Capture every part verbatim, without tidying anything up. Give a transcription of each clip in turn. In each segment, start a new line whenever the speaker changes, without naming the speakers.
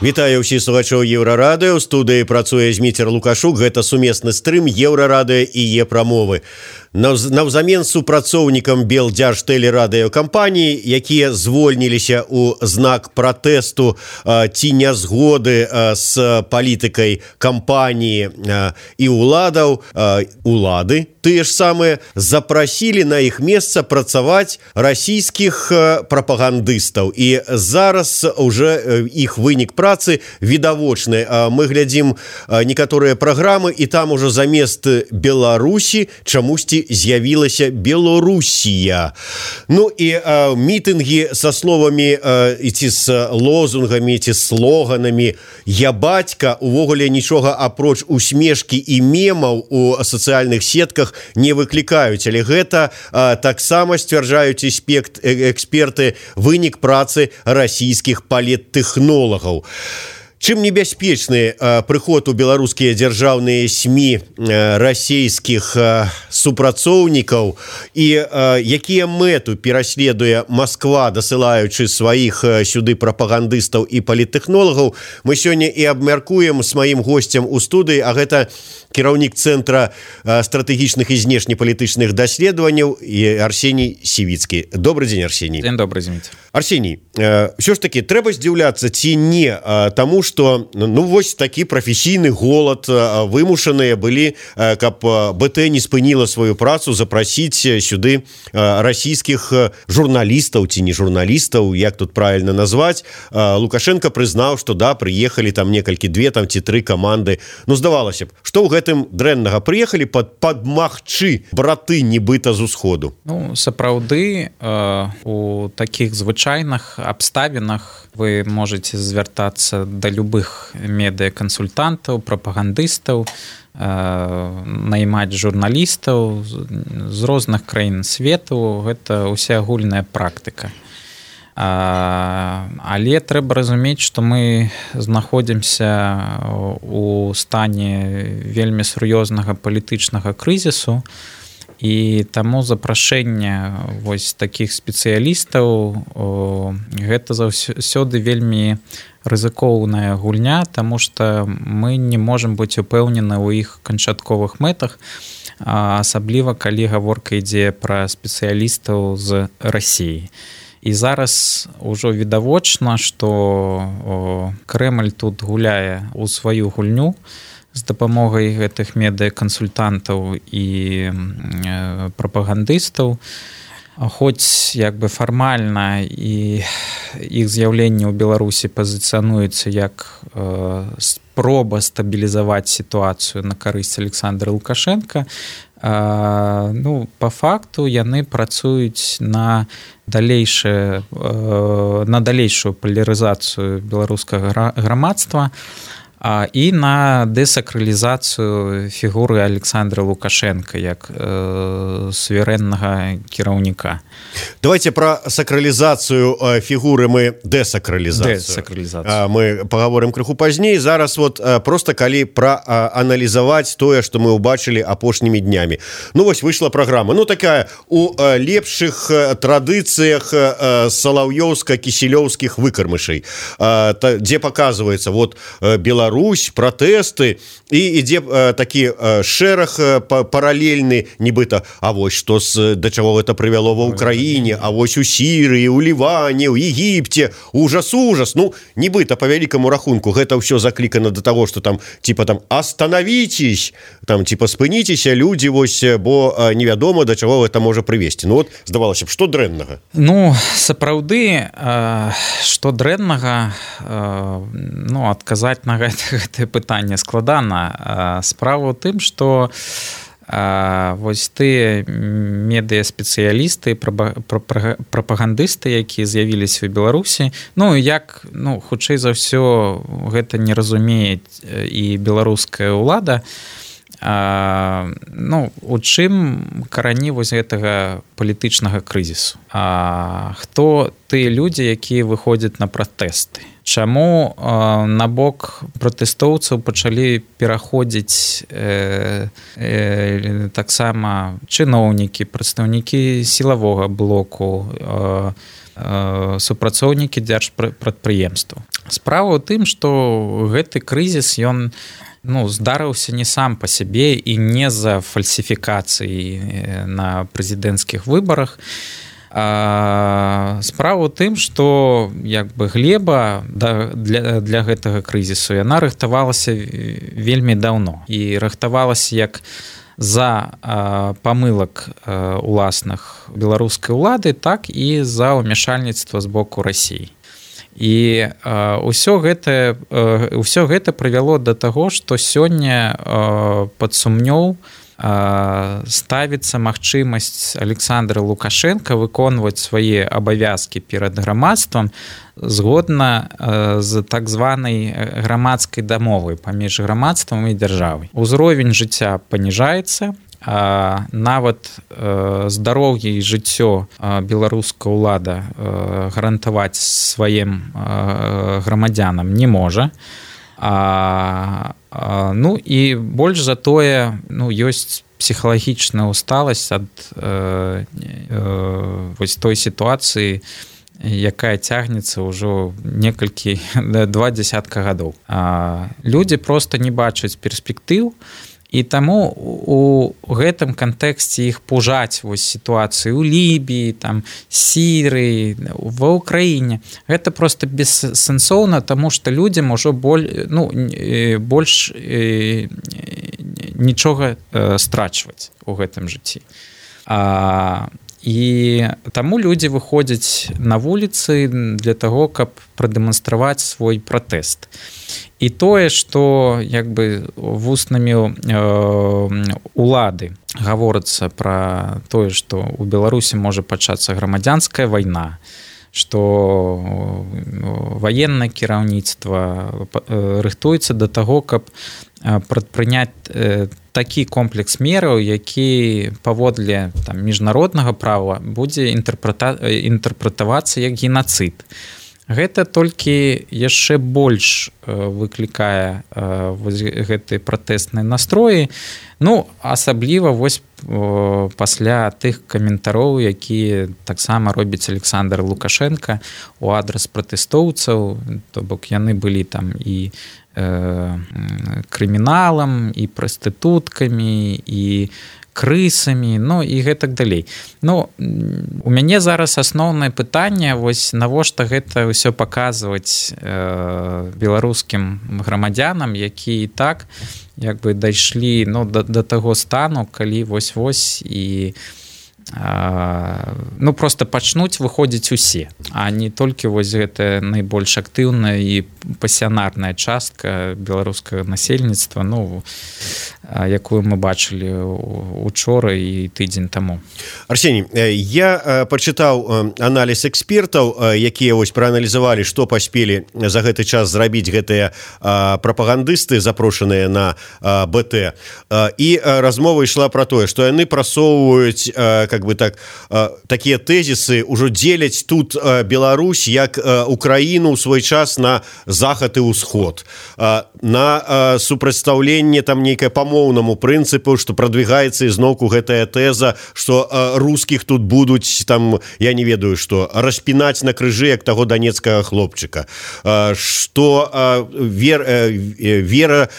Вітаю ўсіх слухачоў Еўрарадыё. У студыі працуе Зміцер Лукашук. Гэта сумесны стрым Еўрарадыё і Е-прамовы. Навзамен супрацоўнікам Белдзяржтэлерадыёкампаніі, якія звольніліся ў знак пратэсту ці нязгоды з палітыкай кампаніі і ўладаў, улады тыя ж самыя запрасілі на іх месца працаваць расійскіх прапагандыстаў. І зараз уже іх вынік працы відавочны. Мы глядзім некаторыя праграмы, і там ужо замест Беларусі чамусьці з'явілася Белорусія. Ну і а, мітынгі са словамі а, ці з лозунгамі, ці слоганамі «Я бацька» увогуле нічога апроч усмешкі і мемаў у сацыяльных сетках не выклікаюць. Але гэта а, таксама сцвярджаюць эспект, эксперты вынік працы расійскіх паліттэхнолагаў. Чым небяспечны э, прыход у беларускія дзяржаўныя СМІ э, расійскіх э, супрацоўнікаў і э, якія мэту пераследуе Масква, дасылаючы сваіх э, сюды прапагандыстаў і паліттэхнолагаў, мы сёння і абмяркуем з маім госцем у студыі, а гэта кіраўнік Цэнтра э, стратэгічных і знешнепалітычных даследаванняў і Арсеній Сівіцкі. Добрый дзень, Арсеній.
Дзень добрый, Зміцер.
Арсеній, э, ўсё ж такі трэба здзіўляцца ці не э, таму, што ну вось такі прафесійны голад э, вымушаныя былі, э, каб БТ не спыніла сваю працу, запрасіць сюды э, расійскіх журналістаў ці не журналістаў, як тут правильно назваць. Э, Лукашенко прызнаў, што да, прыехалі там некалькі, две там ці тры каманды. Ну, здавалася б, што ў гэтым дрэннага? Прыехалі пад падмагчы браты нібыта з усходу.
Ну, сапраўды, э, у такіх звычайных абставінах вы можете звяртацца да любых медыакансультантаў, прапагандыстаў, э, наймаць журналістаў з розных краін свету. Гэта ўсеагульная практыка. А, але трэба разумець, што мы знаходзімся у стане вельмі сур'ёзнага палітычнага крызісу, і таму запрашэнне вось такіх спецыялістаў о, гэта заўсёды вельмі рызыкоўная гульня, таму што мы не можам быць упэўнены ў іх канчатковых мэтах, асабліва калі гаворка ідзе пра спецыялістаў з Расіі. І зараз ужо відавочна, што Крэмль тут гуляе ў сваю гульню з дапамогай гэтых медыакансультантаў і прапагандыстаў. Хоць як бы фармальна і іх з'яўленне ў Беларусі пазіцыянуецца як спроба стабілізаваць сітуацыю на карысць Александра Лукашенка, ну, па факту яны працуюць на далейшае, на далейшую палярызацыю беларускага грамадства і на дэсакралізацыю фігуры Александра Лукашенка як э, суверэннага кіраўніка.
Давайте про сакралізацыю э, фігуры мы дэсакралізацыю.
Дэсакралізацыю.
Мы паговорым крыху пазней. Зараз вот э, просто калі прааналізаваць тое, што мы ўбачылі апошнімі днямі. Ну вось выйшла праграма. Ну такая у э, лепшых э, традыцыях э, салаўёўска-кісілёўскіх выкармышай, э, та, дзе паказваецца вот э, Беларусь, Русь, пратэсты, і ідзе э, такі э, шэраг э, паралельны, нібыта, а вось што з, да чаго гэта прывяло ва Ўкраіне, а вось у Сірыі, у Ліване, у Егіпце, ужас-ужас. Ну, нібыта, па вялікаму рахунку, гэта ўсё заклікана да таго, што там, типа, там, остановитесь, там, типа, спыніцеся, людзі, вось, бо э, невядома, да чаго гэта можа прывесці. Ну, вот, здавалася б, што дрэннага?
Ну, сапраўды, э, што дрэннага, э, ну, адказаць на гэта гэтае пытанне складана. Справа ў тым, што вось тыя медыаспецыялісты, прапагандысты, якія з'явіліся ў Беларусі, ну, як, ну, хутчэй за ўсё, гэта не разумее і беларуская ўлада. А, ну, у чым карані вось гэтага палітычнага крызісу? А, хто тыя людзі, якія выходзяць на пратэсты? Чаму э, на бок пратэстоўцаў пачалі пераходзіць э, э, таксама чыноўнікі, прадстаўнікі сілавога блоку, э, супрацоўнікі дзяржпрадпрыемстваў. Справа ў тым, што гэты крызіс ён ну, здарыўся не сам па сябе і не з-за фальсіфікацыі на прэзідэнцкіх выбарах. А справа ў тым, што як бы глеба да, для, для гэтага крызісу яна рыхтавалася вельмі даўно і рыхтавалася як за а, памылак а, уласных беларускай улады, так і за ўмяшальніцтва з боку Расіі. І а, ўсё гэта а, ўсё гэта прывяло да таго, што сёння а, пад сумнёў а, ставіцца магчымасць Александра Лукашенка выконваць свае абавязкі перад грамадствам згодна з так званай грамадскай дамовы паміж грамадствам і дзяржавай. Узровень жыцця паніжаецца, а нават здароўе і жыццё беларуская ўлада гарантаваць сваім грамадзянам не можа. А, а, ну і больш за тое, ну, ёсць псіхалагічная усталасць ад э, э, вось той сітуацыі, якая цягнецца ўжо некалькі два дзясятка гадоў. А, людзі проста не бачаць перспектыў, і таму у гэтым кантэксце іх пужаць вось сітуацыю ў Лібіі, там Сірыі, ва ўкраіне. Гэта проста бессэнсоўна, таму што людзям ужо боль, ну, больш нічога страчваць у гэтым жыцці. А, і таму людзі выходзяць на вуліцы для таго, каб прадэманстраваць свой пратэст. І тое, што як бы вуснамі э, улады гаворыцца пра тое, што ў Беларусі можа пачацца грамадзянская вайна, што ваеннае кіраўніцтва рыхтуецца да таго, каб прадпрыняць такі комплекс мераў, які паводле там, міжнароднага права будзе інтэрпрэта... інтэрпрэтавацца як генацыд. Гэта толькі яшчэ больш выклікае вось гэтыя пратэсныя настроі. Ну, асабліва вось пасля тых каментароў, якія таксама робіць Александр Лукашенко у адрас пратэстоўцаў, то бок яны былі там і э, крыміналам, і прастытуткамі, і крысамі, ну і гэтак далей. Ну, у мяне зараз асноўнае пытанне, вось навошта гэта ўсё паказваць э, беларускім грамадзянам, які і так як бы дайшлі ну, да, да таго стану, калі вось-вось і э, ну просто пачнуць выходзіць усе, а не толькі вось гэта найбольш актыўная і пасіянарная частка беларускага насельніцтва, ну якую мы бачылі учора і тыдзень таму.
Арсеній, я пачытаў аналіз экспертаў, якія вось прааналізавалі, што паспелі за гэты час зрабіць гэтыя прапагандысты, запрошаныя на БТ. І размова ішла пра тое, што яны прасоўваюць как бы так такія тэзісы, ужо дзеляць тут Беларусь як Украіну ў свой час на захад і ўсход, на супрацьстаўленне там нейкае памоўнаму прынцыпу, што прадвігаецца ізноўку гэтая тэза, што рускіх тут будуць там, я не ведаю што, распінаць на крыжы як таго данецкага хлопчыка, што вер, вера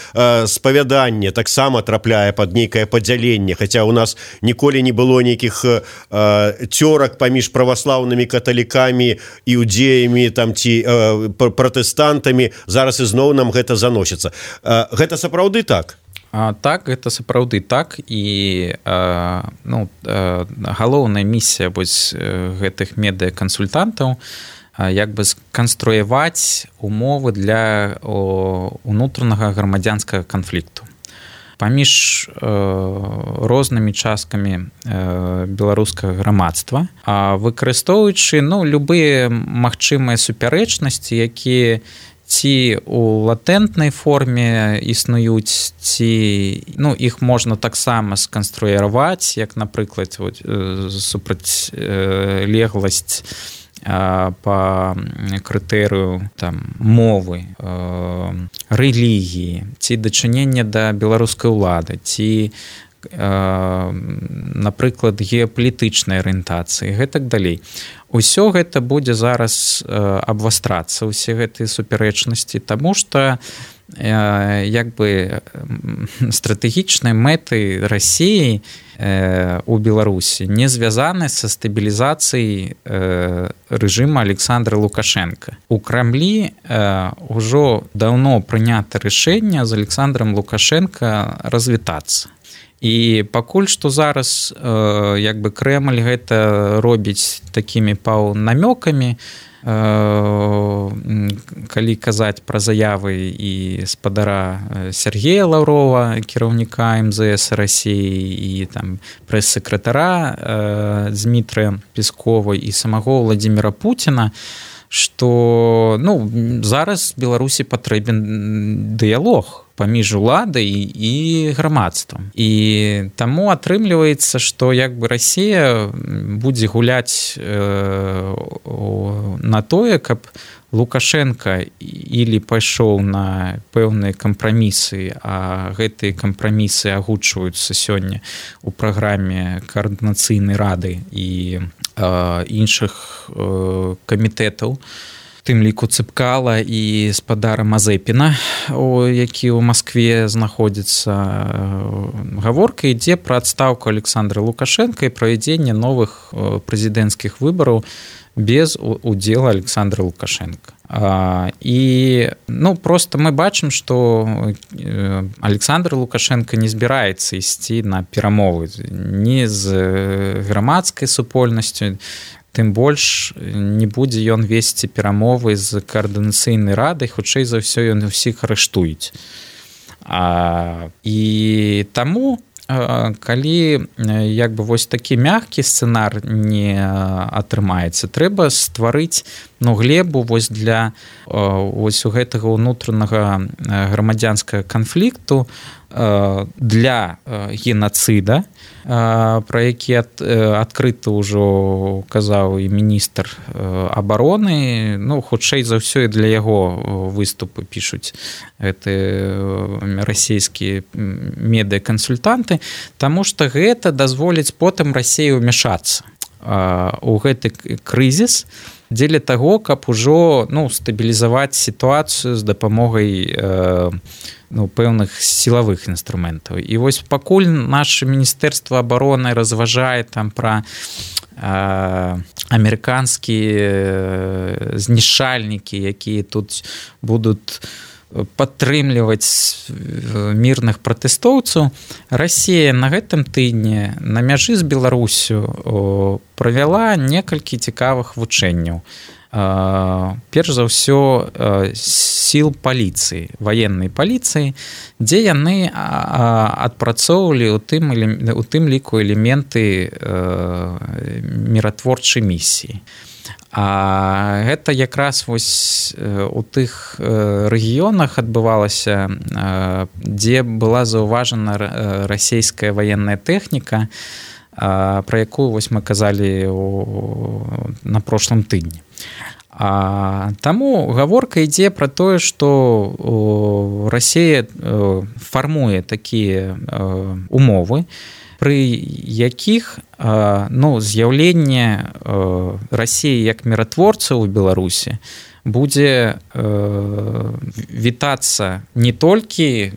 спавяданне таксама трапляе пад нейкае падзяленне, хаця ў нас ніколі не было нейкіх цёрак паміж праваслаўнымі каталікамі, іудзеямі там ці пратэстантамі, зараз ізноў нам гэта заносіцца. Гэта сапраўды так?
А, так, гэта сапраўды так, і а, ну, а, галоўная місія вось гэтых медыакансультантаў як бы сканструяваць умовы для о, унутранага грамадзянскага канфлікту паміж э, рознымі часткамі э, беларускага грамадства, а выкарыстоўваючы ну, любыя магчымыя супярэчнасці, якія ці у латэнтнай форме існуюць, ці ну, іх можна таксама сканструяваць, як, напрыклад, супрацьлегласць по крытэрыю там, мовы, рэлігіі, ці дачынення да беларускай улады, ці напрыклад, геапалітычнай арыентацыі, гэтак далей. Усё гэта будзе зараз абвастрацца, усе гэтыя супярэчнасці, таму што як бы стратэгічныя мэты Расіі у Беларусі не звязаны са стабілізацыяй рэжыма Александра Лукашенка. У Крамлі ўжо даўно прынята рашэнне з Александром Лукашенка развітацца. І пакуль што зараз як бы Крэмль гэта робіць такімі паўнамёкамі, калі казаць пра заявы і спадара Сергея Лаўрова, кіраўніка эм зэ эс Расіі, і там прэс-сакратара Дмітрыя Пескова і самого Владимира Путіна, што ну, зараз Беларусі патрэбен дыялог паміж уладай і грамадствам. І таму атрымліваецца, што як бы Расія будзе гуляць э, на тое, каб Лукашенко или пайшоў на пэўныя кампрамісы, а гэтыя кампрамісы агучваюцца сёння ў праграме каардынацыйнай рады і э, іншых э, камітэтаў, тым ліку Цыпкала і спадара Мазэпіна, які ў Маскве знаходзіцца. Гаворка ідзе пра адстаўку Александра Лукашенка і правядзенне новых прэзідэнцкіх выбараў без удзела Александра Лукашенка. І ну, просто мы бачым, што Александр Лукашенко не збіраецца ісці на перамовы ні з грамадскай супольнасцю, тым больш не будзе ён весці перамовы з каардынацыйнай радай, хутчэй за ўсё ён усіх арыштуюць. А, і таму, калі як бы вось такі мяккі сцэнар не атрымаецца, трэба стварыць ну, глебу вось для вось у гэтага ўнутранага грамадзянскага канфлікту для генацыда, пра які адкрыта ўжо казаў і міністр абароны, ну, хутчэй за ўсё і для яго выступы пішуць гэтыя расійскія медыакансультанты, таму што гэта дазволіць потым Расіі ўмяшацца у гэты крызіс дзеля таго, каб ужо ну, стабілізаваць сітуацыю з дапамогай э, ну, пэўных сілавых інструментаў. І вось пакуль наше міністэрства абароны разважае там пра э, амерыканскія знішчальнікі, якія тут будуць падтрымліваць мірных пратэстоўцаў, Расія на гэтым тыдні на мяжы з Беларусю правяла некалькі цікавых вучэнняў. Перш за ўсё сіл паліцыі, ваеннай паліцыі, дзе яны адпрацоўвалі ў тым, у тым ліку элементы міратворчай місіі. А гэта якраз вось у тых рэгіёнах адбывалася, дзе была заўважана расійская ваенная тэхніка, пра якую вось мы казалі на прошлым тыдні. А, таму гаворка ідзе пра тое, што Расія фармуе такія умовы, пры якіх ну, з'яўленне Расіі як міратворца ў Беларусі будзе вітацца не толькі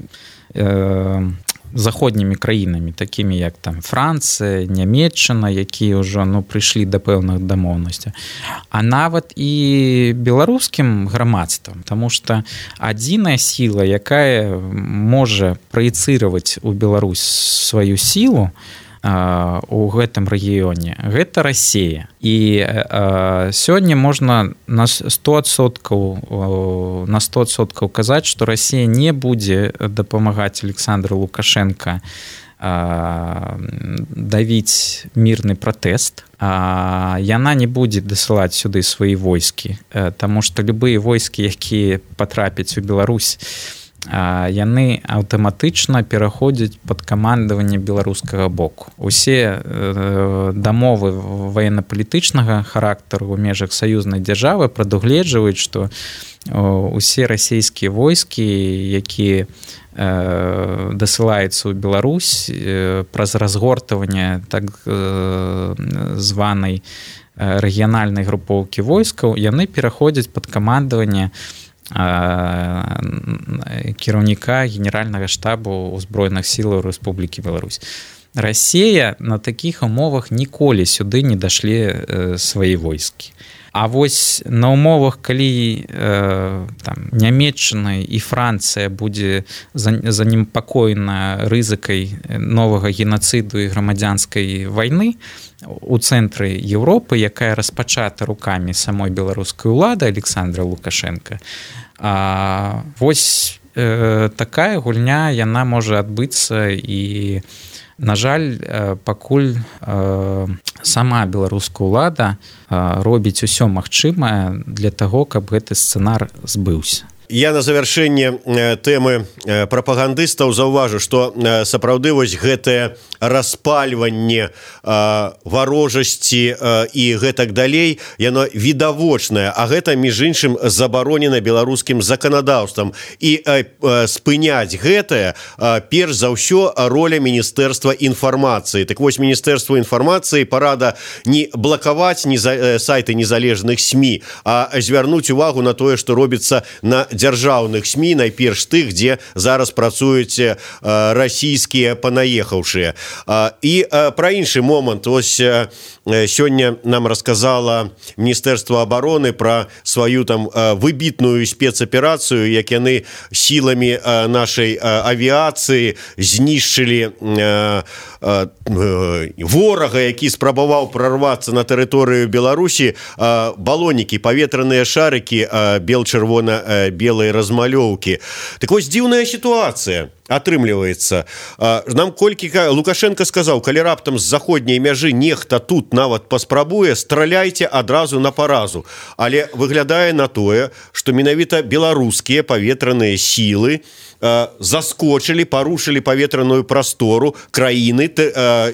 заходнімі краінамі, такімі як там Францыя, Нямецчына, якія ўжо ну, прыйшлі да пэўных дамоўнасцяў, а нават і беларускім грамадствам, таму што адзіная сіла, якая можа праецыраваць у Беларусь сваю сілу у гэтым рэгіёне, гэта Расія. І э, сёння можна на сто адсоткаў на сто адсоткаў казаць, што Расія не будзе дапамагаць Александру Лукашенка э, давіць мірны пратэст. А яна не будзе дасылаць сюды свае войскі, э, таму што любыя войскі, якія патрапяць у Беларусь, яны аўтаматычна пераходзяць пад камандаванне беларускага боку. Усе дамовы ваенна-палітычнага характару ў межах саюзнай дзяржавы прадугледжваюць, што усе расійскія войскі, якія дасылаецца ў Беларусь праз разгортванне так званай рэгіянальнай групоўкі войскаў, яны пераходзяць пад камандаванне кіраўніка генеральнага штабу ўзброеных сілаў Рэспублікі Беларусь. Расія на такіх умовах ніколі сюды не дашлі свае войскі. А вось на умовах, калі э, там, Нямецчына і Францыя будзе занепакоена рызыкай новага генацыду і грамадзянскай вайны у цэнтры Еўропы, якая распачата рукамі самой беларускай улады Александра Лукашенка, а вось э, такая гульня, яна можа адбыцца і на жаль, пакуль э, сама беларуская ўлада э, робіць усё магчымае для таго, каб гэты сцэнар збыўся.
Я на завяршэнне тэмы прапагандыстаў заўважу, што сапраўды вось гэтае распальванне варожасці і гэтак далей, яно відавочнае, а гэта, між іншым, забаронена беларускім заканадаўствам. І спыняць гэтае, перш за ўсё, роля Міністэрства інфармацыі. Так вось, Міністэрства інфармацыі парада не блакаваць сайты незалежных СМІ, а звярнуць увагу на тое, што робіцца на дзяржаўных СМІ, найперш тых, дзе зараз працуюць расійскія панаехаўшыя. І пра іншы момант, ось сёння нам расказала Міністэрства абароны пра сваю там выбітную спецаперацыю, як яны сіламі нашай авіяцыі знішчылі ворага, які спрабаваў прарвацца на тэрыторыю Беларусі, балонікі, паветраныя шарыкі бел-чырвона-белай размалёўкі. Так вось, дзіўная сітуацыя атрымліваецца. Нам колькі Лукашенко сказаў, калі раптам з заходняй мяжы нехта тут нават паспрабуе, страляйце адразу на паразу. Але выглядае на тое, што менавіта беларускія паветраныя сілы заскочылі, парушылі паветраную прастору краіны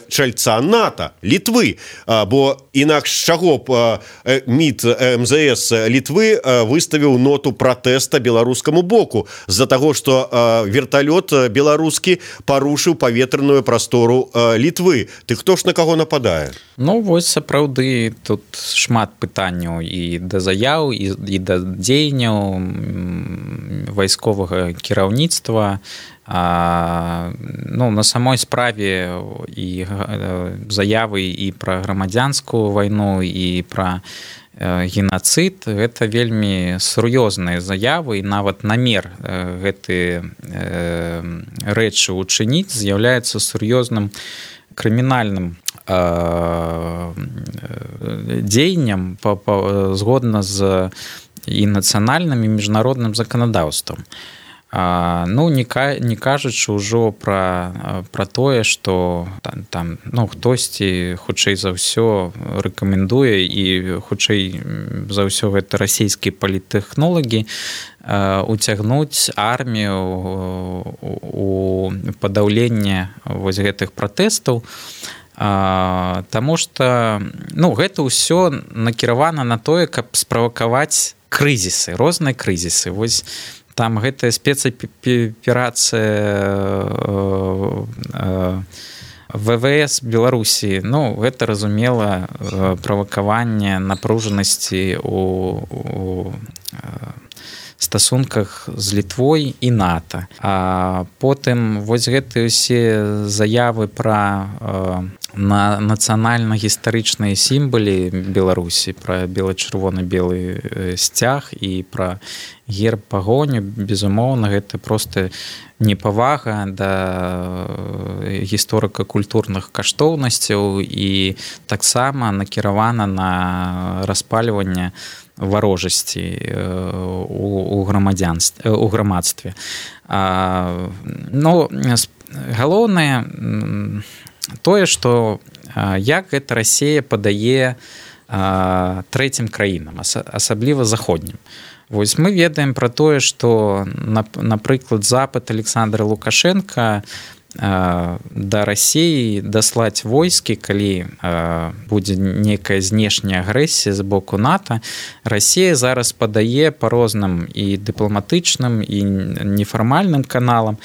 чальца НАТО, Літвы. Бо інакш чаго б МІД МЗС Літвы выставіў ноту пратэста беларускаму боку з-за таго, што верталёт беларускі парушыў паветраную прастору Літвы. Ты хто ж на каго нападае?
Ну, вось сапраўды тут шмат пытанняў і да заяў, і, і да дзеянняў вайсковага кіраўніцтва. А, ну, на самой справе і заявы і пра грамадзянскую вайну, і пра генацыд, гэта вельмі сур'ёзныя заявы, і нават намер гэты рэчы учыніць з'яўляецца сур'ёзным крымінальным дзеяннем згодна з і нацыянальным і міжнародным заканадаўствам. Ну, не, не кажучы ўжо пра, пра тое, што там, там ну, хтосьці хутчэй за ўсё рэкамендуе, і хутчэй за ўсё гэта расійскія паліттэхнолагі уцягнуць армію у падаўленне вось гэтых пратэстаў, таму што ну, гэта ўсё накіравана на тое, каб справакаваць крызісы, розныя крызісы. Вось там гэтая спецаперацыя ВВС Беларусі, ну, гэта, разумела, правакаванне напружанасці у, у стасунках з Літвой і НАТО. А потым вось гэтыя ўсе заявы пра на нацыянальна-гістарычныя сімвалы Беларусі, пра бела-чырвона-белы сцяг і пра герб пагоню, безумоўна, гэта проста непавага да гісторыка-культурных каштоўнасцяў і таксама накіравана на распальванне варожасці у, у, грамадзянстве, у грамадстве. А, ну, галоўнае тое, што як гэта Расія падае а, трэцім краінам, асабліва заходнім. Вось мы ведаем пра тое, што, напрыклад, запад Александра Лукашенка да Расіі даслаць войскі, калі будзе нейкая знешняя агрэсія з боку НАТО, Расія зараз падае па розным і дыпламатычным, і нефармальным каналам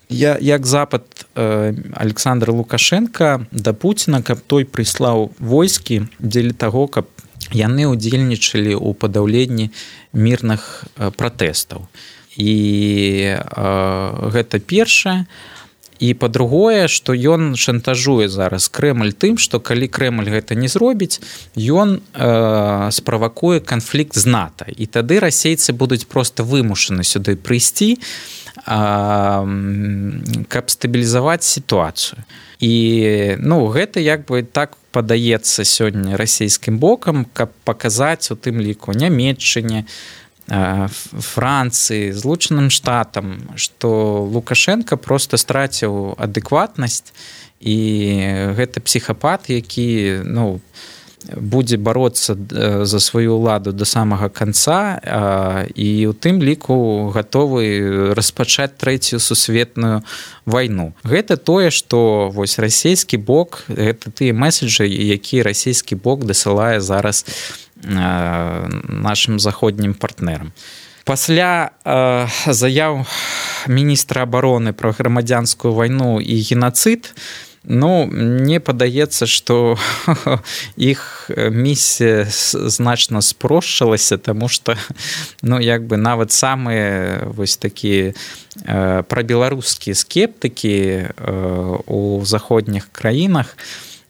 я як запад э, Александра Лукашенко да Пуціна, каб той прыслаў войскі дзеля таго, каб яны ўдзельнічалі ў падаўленні мірных э, пратэстаў. І э, гэта першае. І па-другое, што ён шантажуе зараз Крэмль тым, што калі Крэмль гэта не зробіць, ён э, справакуе канфлікт з НАТО. І тады расейцы будуць проста вымушаны сюды прыйсці, э, каб стабілізаваць сітуацыю. І ну, гэта як бы так падаецца сёння расійскім бокам, каб паказаць у тым ліку Нямецчыне, Францыі, Злучаным Штатам, што Лукашенко просто страціў адэкватнасць, і гэта псіхапат, які ну, будзе бароцца за сваю ўладу да самага канца, і ў тым ліку гатовы распачаць трэцюю сусветную вайну. Гэта тое, што вось расійскі бок, гэта тыя меседжы, якія расійскі бок дасылае зараз нашим заходнім партнерам. Пасля э, заяў міністра абароны пра грамадзянскую вайну і генацыд, ну, мне падаецца, што іх місія значна спрошчылася, таму што ну, як бы нават самыя вось такія э, прабеларускія скептыкі э, у заходніх краінах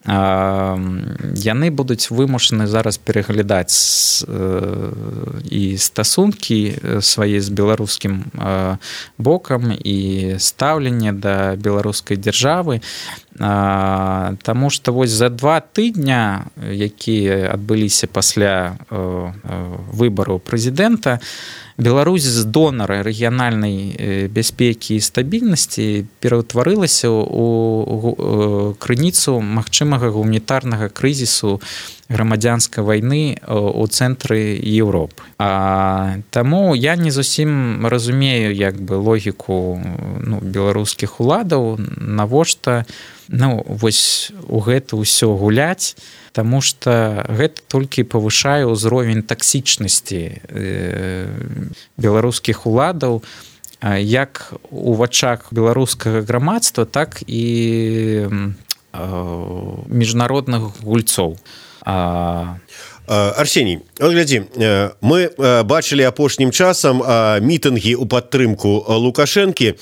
яны будуць вымушаны зараз пераглядаць і стасункі свае з беларускім бокам і стаўленне да беларускай дзяржавы, таму што вось за два тыдня, якія адбыліся пасля выбараў прэзідэнта, Беларусь з донара рэгіянальнай бяспекі і стабільнасці пераўтварылася ў крыніцу магчымага гуманітарнага крызісу грамадзянскай вайны ў цэнтры Еўропы. А, таму я не зусім разумею як бы логіку ну, беларускіх уладаў, навошта ну, вось у гэта ўсё гуляць, таму што гэта толькі павышае ўзровень таксічнасці беларускіх уладаў як у вачах беларускага грамадства, так і міжнародных гульцоў.
Арсеній, от глядзі, мы бачылі апошнім часам мітынгі ў падтрымку Лукашэнкі,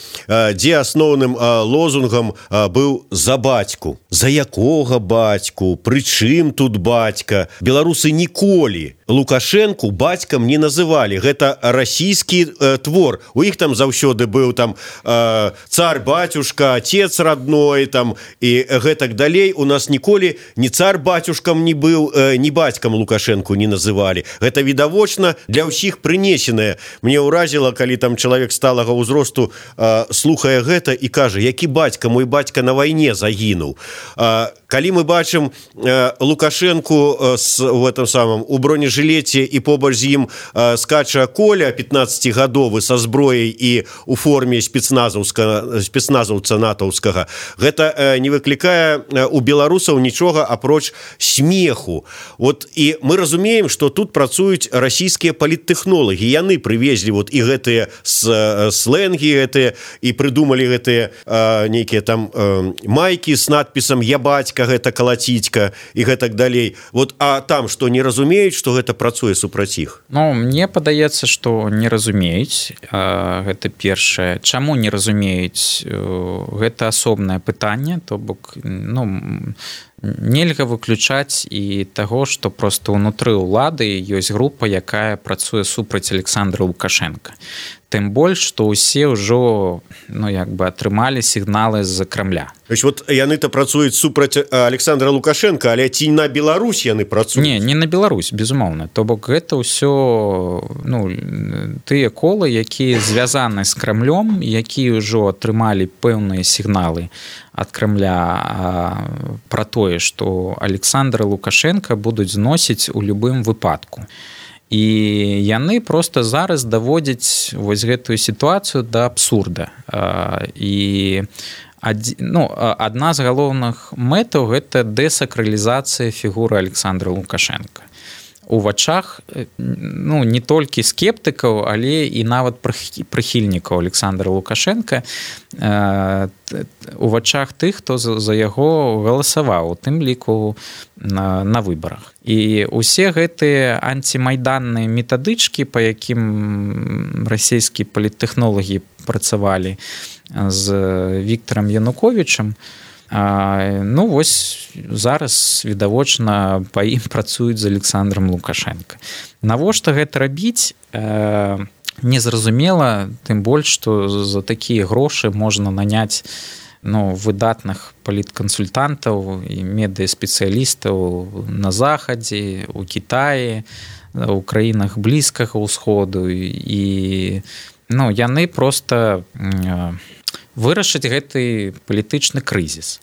дзе асноўным лозунгам быў «За бацьку». За якога бацьку? Прычым тут бацька? Беларусы ніколі Лукашэнку бацькам не называлі. Гэта расійскі твор. У іх там заўсёды быў там цар-бацюшка, отец родной там, і гэтак далей. У нас ніколі ні цар-бацюшкам не быў, ні бацькам Лукашэнку не называлі. Гэта відавочна для ўсіх прынесенае. Мне ўразіла, калі там чалавек сталага ўзросту слухае гэта і кажа, які бацька, мой бацька на вайне загінуў. Калі мы бачым Лукашэнку с, в этом самом, у бронежилете і побач з ім скача Коля пятнаццацігадовы са зброяй і у форме спецназаўца натаўскага, гэта не выклікае у беларусаў нічога апроч смеху. Вот і мы разумеем, што тут працуюць расійскія паліттэхнолагі. Яны прывезлі вот і гэтыя слэнгі гэтыя і прыдумалі гэтыя нейкія там майкі з надпісам «Я бацька», гэта калацітька і гэтак далей. Вот, а там што не разумеюць, што гэта працуе супраць іх?
Ну, мне падаецца, што не разумеюць. Гэта першае. Чаму не разумеюць? Гэта асобнае пытанне, то бок, ну, нельга выключаць і таго, што проста ўнутры ўлады ёсць група, якая працуе супраць Александра Лукашенка. Тым больш, што ўсе ўжо ну, як бы атрымалі сігналы з-за Крамля.
То есть вот яны-то працуюць супраць Александра Лукашенка, але ці на Беларусь яны працуюць?
Не, не на Беларусь, безумоўна. То бок гэта ўсё ну, тыя колы, якія звязаны з Крамлём, якія ўжо атрымалі пэўныя сігналы ад Крамля пра тое, што Александра Лукашенка будуць зносіць у любым выпадку. І яны проста зараз даводзяць вось гэтую сітуацыю да абсурда. І ну, адна з галоўных мэтаў гэта дэсакралізацыя фігуры Александра Лукашенка. у вачах ну не толькі скептыкаў, але і нават прыхільнікаў Александра Лукашенка, у вачах тых, хто за яго галасаваў, у тым ліку на, на выбарах. І усе гэтыя антимайданныя метадычкі, па якім расійскія паліттэхнолагі працавалі з Віктарам Януковічам, ну вось зараз відавочна па ім працуюць з Александром Лукашенко. Навошта гэта рабіць, незразумела, тым больш, што за такія грошы можна наняць ну, выдатных паліткансультантаў і медыаспецыялістаў на Захадзе, у Кітаі, у краінах Блізкага ўсходу, і ну, яны проста вырашыць гэты палітычны крызіс.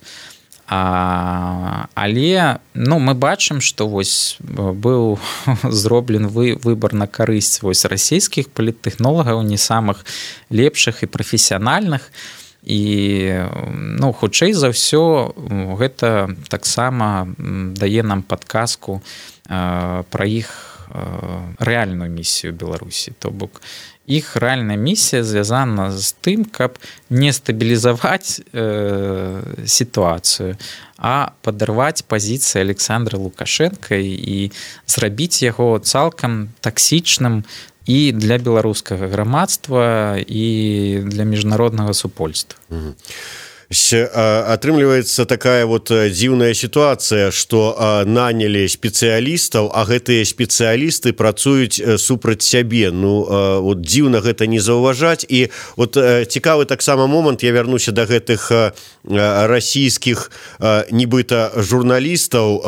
А, але ну, мы бачым, што вось быў зроблен вы, выбар на карысць вось расійскіх паліттэхнолагаў, не самых лепшых і прафесіянальных. І ну, хутчэй за ўсё гэта таксама дае нам падказку э, пра іх э, рэальную місію Беларусі. То бок іх рэальная місія звязана з тым, каб не стабілізаваць э, сітуацыю, а падарваць пазіцыі Александра Лукашенка і зрабіць яго цалкам таксічным і для беларускага грамадства, і для міжнароднага супольства.
Mm-hmm. Атрымліваецца такая вот дзіўная сітуацыя, што нанялі спецыялістаў, а гэтыя спецыялісты працуюць супраць сябе. Ну, вот дзіўна гэта не заўважаць. І вот цікавы таксама момант, я вярнуся да гэтых расійскіх нібыта журналістаў,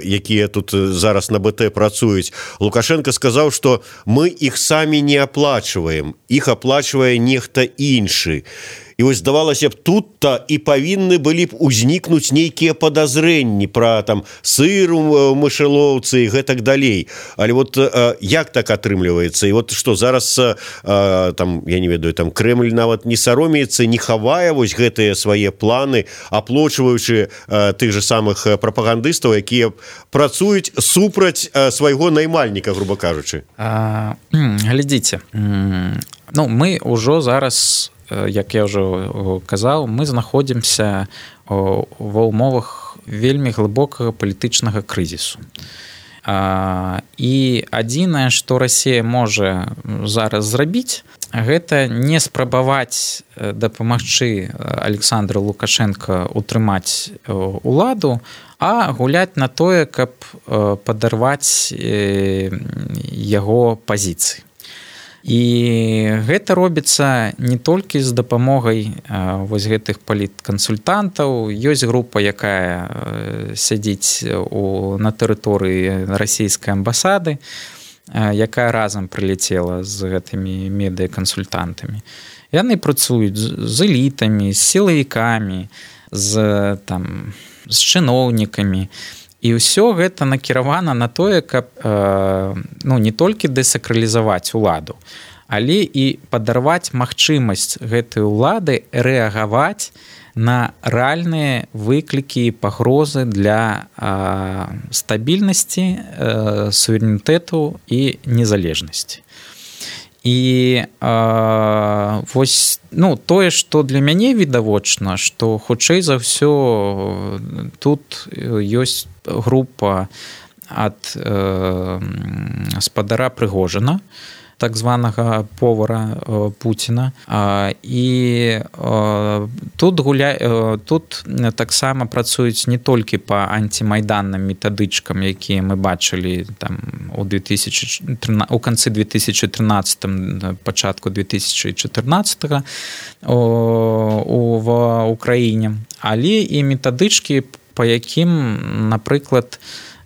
якія тут зараз на БТ працуюць. Лукашенко сказаў, што мы іх самі не аплачваем, іх аплачвае нехта іншы. І вось здавалася б, тут-то і павінны былі б узнікнуць нейкія падазрэнні пра там сыр у мышалоўцы і гэтак далей. Але вот як так атрымліваецца? І вот што зараз там, я не ведаю, там Крэмль нават не саромеецца, не хавае вось гэтыя свае планы, аплочваючы тых же самых прапагандыстаў, якія працуюць супраць свайго наймальніка, грубо кажучы.
А, глядзіце, ну мы ўжо зараз, як я ўжо казаў, мы знаходзімся ва ўмовах вельмі глыбокага палітычнага крызісу. І адзінае, што Расія можа зараз зрабіць, гэта не спрабаваць дапамагчы Александру Лукашенко утрымаць уладу, а гуляць на тое, каб падарваць яго пазіцыі. І гэта робіцца не толькі з дапамогай вось гэтых паліткансультантаў. Ёсць група, якая сядзіць у, на тэрыторыі расійскай амбасады, якая разам прылецела з гэтымі медыакансультантамі. Яны працуюць з элітамі, з сілавікамі, з, там, з чыноўнікамі. І ўсё гэта накіравана на тое, каб э, ну, не толькі дэсакралізаваць уладу, але і падарваць магчымасць гэтай улады рэагаваць на рэальныя выклікі і пагрозы для э, стабільнасці, э, суверэнітэту і незалежнасці. І э, вось ну, тое, што для мяне відавочна, што хутчэй за ўсё тут ёсць група ад э, спадара Прыгожина, так званага повара э, Пуціна. А, і э, тут, гуля... э, тут таксама працуюць не толькі па антимайданным метадычкам, якія мы бачылі там, у, две тысячи тринадцатым, у канцы две тысячи тринадцатым, пачатку две тысячи четырнадцатым у, в Украіне, але і метадычкі, па якім, напрыклад,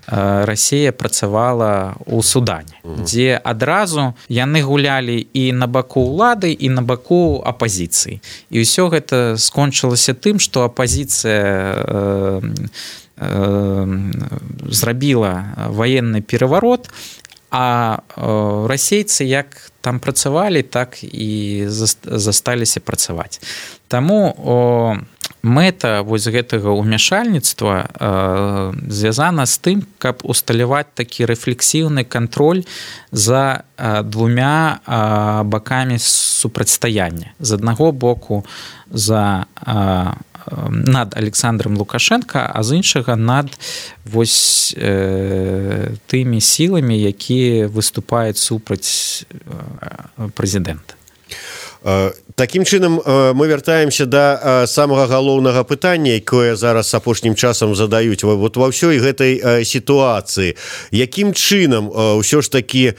Расія працавала ў Судане, угу. дзе адразу яны гулялі і на баку ўлады, і на баку апазіцыі. І ўсё гэта скончылася тым, што апазіцыя э, э, зрабіла ваенны пераварот, а э, расейцы як там працавалі, так і засталіся працаваць. Таму о, мэта вось гэтага ўмяшальніцтва э, звязана з тым, каб усталяваць такі рэфлексіўны кантроль за э, двумя э, бакамі супрацьстаяння. З аднаго боку за э, над Александром Лукашенко, а з іншага над вось э, тымі сіламі, якія выступаюць супраць э, прэзідэнта.
Такім чынам мы вяртаемся да самага галоўнага пытання, якое зараз апошнім часам задаюць вот ва ўсёй гэтай сітуацыі. Якім чынам ўсё ж такі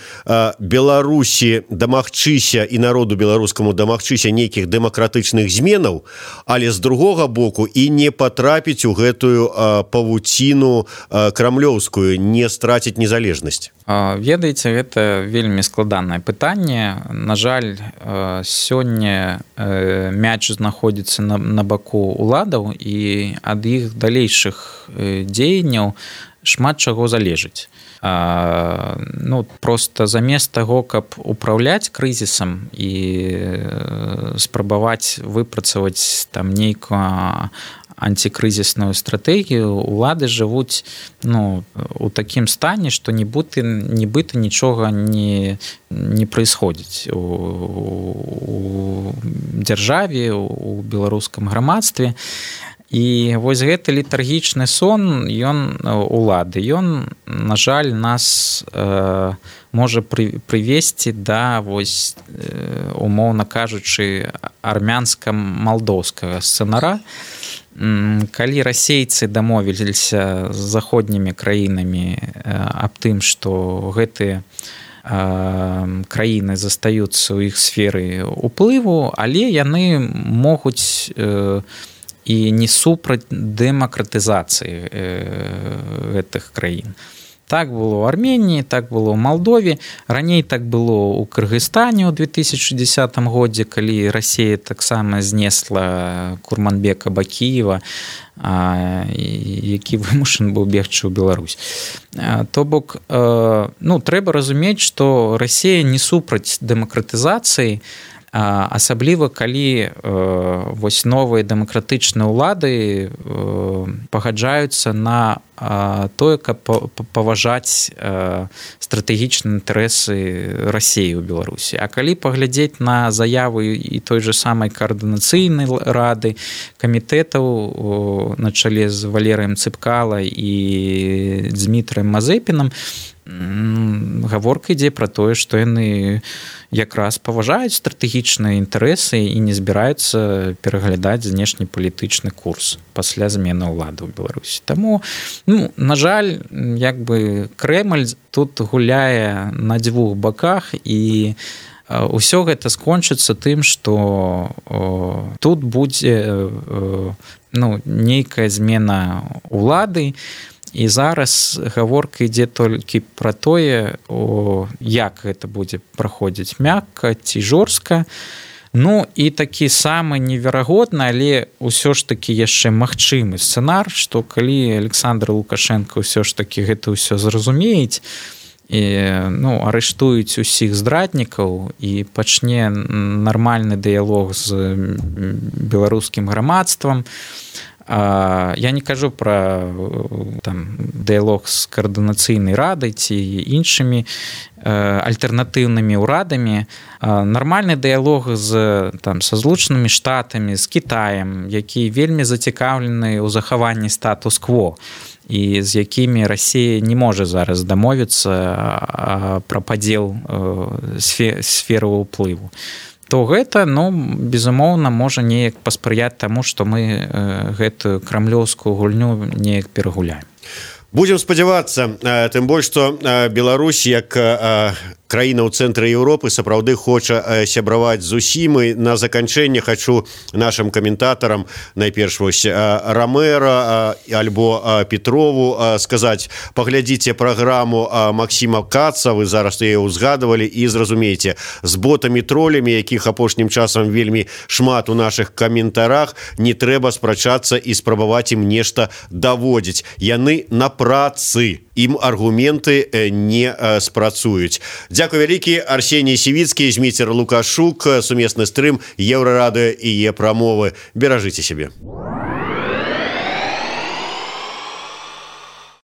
Беларусі дамагчыся і народу беларускаму дамагчыся нейкіх дэмакратычных зменаў, але з другога боку і не патрапіць у гэтую павуціну крамлёўскую, не страціць незалежнасць?
Ведаеце, гэта вельмі складанае пытанне. На жаль, сёння мяч знаходзіцца на, на баку уладаў, і ад іх далейшых дзеянняў шмат чаго залежыць. А, ну, просто замест таго, каб управляць крызісам і спрабаваць выпрацаваць там нейкую антикрызісную стратэгію, улады жывуць ну, у такім стане, што нібыта, нібыта нічога не, не праисходзіць у, у дзяржаве, у беларускам грамадстве. І вось гэты летаргічны сон, ён улады, ён, на жаль, нас э, можа пры, прывесці да, вось, э, умоўна кажучы, армянска-малдоўскага сцэнара. Калі расейцы дамовіліся з заходнімі краінамі аб тым, што гэтыя краіны застаюцца ў іх сферы ўплыву, але яны могуць і не супраць дэмакратызацыі гэтых краін. Так было ў Арменіі, так было ў Малдове, раней так было ў Кыргызстане ў две тысячы дзесятым годзе, калі Расія таксама знесла Курманбека Бакіева, які вымушаны быў бегчы ў Беларусь. То бок, ну, трэба разумець, што Расія не супраць дэмакратызацыі, асабліва калі вось новыя дэмакратычныя ўлады пагаджаюцца на тое, каб паважаць стратэгічныя інтарэсы Расіі ў Беларусі. А калі паглядзець на заявы і той же самай каардынацыйнай рады, камітэтаў на чале з Валерыем Цыпкала і Дмітрыем Мазэпінам, гаворка ідзе пра тое, што яны якраз паважаюць стратэгічныя інтарэсы і не збіраюцца пераглядаць знешнепалітычны курс пасля змены ўлады ў Беларусі. Таму, ну, на жаль, як бы Крэмль тут гуляе на дзвюх баках, і ўсё гэта скончыцца тым, што тут будзе ну, нейкая змена ўлады. І зараз гаворка ідзе толькі пра тое, о, як гэта будзе праходзіць мякка ці жорстка. Ну і такі самы неверагодны, але ўсё ж такі яшчэ магчымы сцэнар, што калі Александр Лукашенко ўсё ж такі гэта ўсё зразумеюць, і, ну, арыштуюць усіх здраднікаў і пачне нармальны дыялог з беларускім грамадствам. Я не кажу пра там, дыялог з каардынацыйнай радай ці іншымі альтэрнатыўнымі ўрадамі. Нармальны дыялог з, там, са Злучанымі Штатамі, з Кітаем, які вельмі зацікаўлены ў захаванні статус-кво, і з якімі Расія не можа зараз дамовіцца пра падзел сферы ўплыву, то гэта, ну, безумоўна, можа неяк паспрыяць таму, што мы гэтую крамлёўскую гульню неяк перагуляем.
Будзем спадзявацца, тым больш, што Беларусь, як краіна ў цэнтры Еўропы, сапраўды хоча сябраваць з усімі. На заканчэнне хачу нашым каментатарам, найперш вось Рамэра альбо Петрову сказаць: паглядзіце праграму Максіма Каца, вы зараз яе ўзгадывалі, і зразумееце, з ботамі-тролямі, якіх апошнім часам вельмі шмат у нашых каментарах, не трэба спрачацца і спрабаваць ім нешта даводзіць. Яны на працы, ім аргументы не спрацуюць. Дзякуй вялікі. Арсеній Сівіцкі, Зміцер Лукашук, сумесны стрым Еўрарадыё і Е-прамовы. Беражыце сябе.